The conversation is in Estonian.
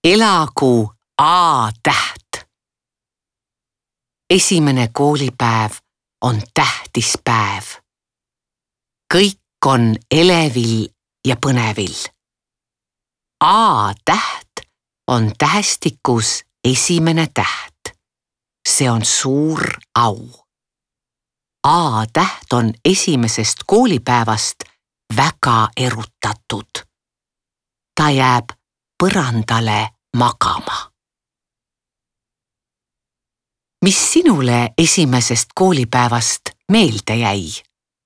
Elagu A-täht. Esimene koolipäev on tähtis päev. Kõik on elevil ja põnevil. A-täht on tähestikus esimene täht. See on suur au. A-täht on esimesest koolipäevast väga erutatud. Ta jääb põrandale magama. Mis sinule esimesest koolipäevast meelde jäi?